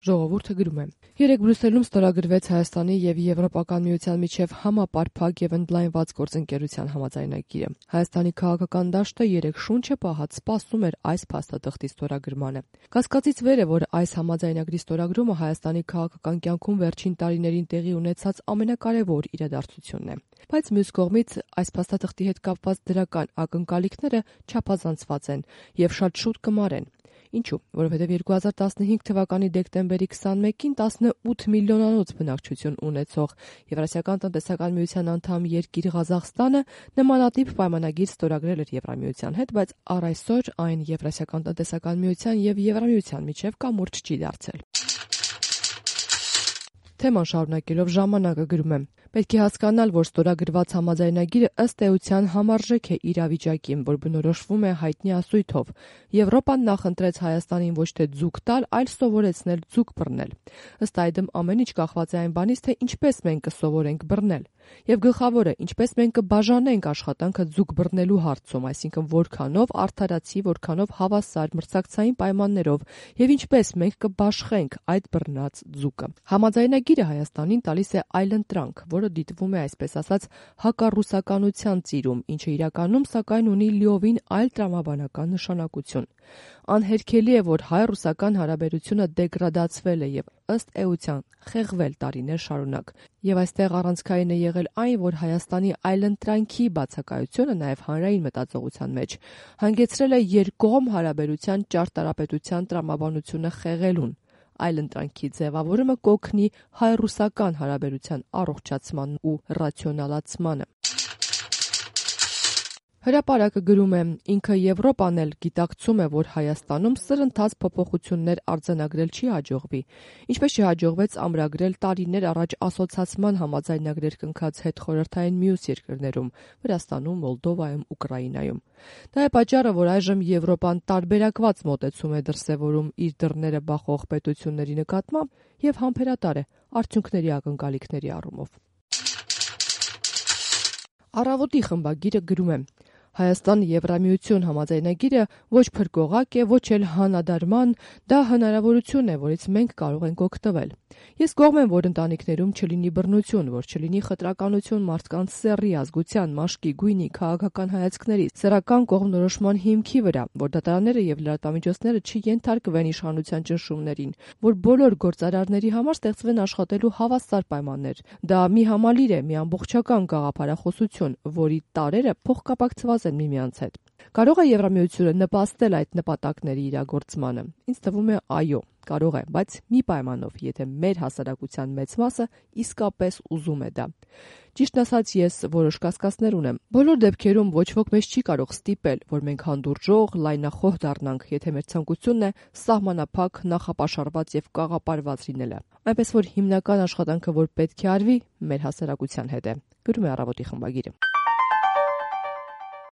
Ժողովուրդը գրում է. Երեկ Բրյուսելում ստորագրվեց Հայաստանի եւ Եվրոպական միության միջև համապարփակ եւ ընդլայնված գործընկերության համաձայնագիրը։ Հայաստանի քաղաքական դաշտը երեկ շունչը պահած սպասում էր այս փաստաթղթի ստորագրմանը։ Կասկածից վեր է, որ այս համաձայնագրի ստորագրումը Հայաստանի քաղաքական կյանքում վերջին տարիներին տեղի ունեցած ամենակարևոր իրադարձությունն է։ Բայց մյուս կողմից այս փաստաթղթի հետ կապված դրական ակնկալիքները չափազանցված են եւ շատ շուտ կմարեն։ Ինչու՞, որովհետև 2015 թվականի դեկտեմբերի 21-ին 18 միլիոնանոց բնակչություն ունեցող Եվրասիական տնտեսական միության անդամ երկիր Ղազախստանը նմանատիպ պայմանագիր ստորագրել էր Եվրամիության հետ, բայց առ այսօր այն Եվրասիական տնտեսական միության եւ Եվրամիության միջև կամուրջ չի դարձել։ Թեման շարունակելով ժամանակը գրում է. Պետք է հասկանալ, որ ստորագրված համաձայնագիրը ըստ էության համարժեք է իրավիճակին, որ բնորոշվում է հայտնի ասույթով։ Եվրոպան նախընտրեց Հայաստանին ոչ թե ձուկ տալ, այլ սովորեցնել ձուկ բռնել։ Ըստ այդմ ամեն ինչ կախված է այն բանից, թե ինչպես մենք կսովորենք բռնել։ Եվ գլխավորը, ինչպես մենք կբաժանենք աշխատանքը ձուկ բռնելու հարցում, այսինքն որքանով արդարացի, որքանով հավասար մրցակցային պայմաններով, եւ ինչպես մենք կբաշխենք այդ բռնած ձուկը։ Համաձայնագիրը Հայաստանին տալիս է այլընտրանք, որը դիտվում է այսպես ասած հակառուսականության ծիրում, ինչը իրականում սակայն ունի լիովին այլ տրամաբանական նշանակություն։ Անհերքելի է, որ հայ-ռուսական հարաբերությունը դեգրադացվել է եւ ըստ էության խեղվել տարիներ շարունակ։ Եվ այստեղ առանցքային է եղել այն, որ Հայաստանի այլընտրանքի բացակայությունը նաեւ հանրային մտածողության մեջ հանգեցրել է երկկողմ հարաբերության ճարտարապետության տրամաբանությունը խեղելուն։ Այլընտրանքի ձևավորումը կօգնի հայ-ռուսական հարաբերության առողջացման ու ռացիոնալացմանը։ Հրապարակը գրում է. ինքը Եվրոպան էլ գիտակցում է, որ Հայաստանում սրընթաց փոփոխություններ արձանագրել չի հաջողվի, ինչպես չհաջողվեց ամրագրել տարիներ առաջ ասոցացման համաձայնագրեր կնքած հետխորհրդային մյուս երկրներում՝ Վրաստանում, Մոլդովայում, Ուկրաինայում։ Դա է պատճառը, որ այժմ Եվրոպան տարբերակված մոտեցում է դրսևորում իր դռները բախող պետությունների նկատմամբ եւ համբերատար է արդյունքների ակնկալիքների առումով։ Առավոտի խմբագիրը գրում է. Հայաստան-Եվրամիություն համաձայնագիրը ոչ փրկողակ է, ոչ էլ հանադարման, դա հնարավորություն է, որից մենք կարող ենք օգտվել։ Ես կողմ եմ, որ ընտանիքներում չլինի բռնություն, որ չլինի խտրականություն մարդկանց սեռի, ազգության, մաշկի, գույնի, քաղաքական հայացքների, սեռական կողմնորոշման հիմքի վրա, որ դատարանները եւ լրատվամիջոցները չենթարկվեն իշխանության ճնշումներին, որ բոլոր գործարարների համար ստեղծվեն աշխատելու հավասար պայմաններ։ Դա մի համալիր է, մի ամբողջական գաղափարախոսություն, որի տարրերը փոխկապակցված են միմյանց հետ։ Կարող է Եվրամիությունը նպաստել այդ նպատակների իրագործմանը։ Ինձ թվում է այո, կարող է, բայց մի պայմանով, եթե մեր հասարակության մեծ մասը իսկապես ուզում է դա։ Ճիշտն ասած, ես որոշ կասկածներ ունեմ։ Բոլոր դեպքերում ոչ ոք մեզ չի կարող ստիպել, որ մենք հանդուրժող, լայնախոհ դառնանք, եթե մեր ցանկությունն է սահմանափակ, նախապաշարված եւ կաղապարված լինելը։ Այնպես որ հիմնական աշխատանքը, որ պետք է արվի, մեր հասարակության հետ է։ Գրում է Առավոտի խմբագիրը։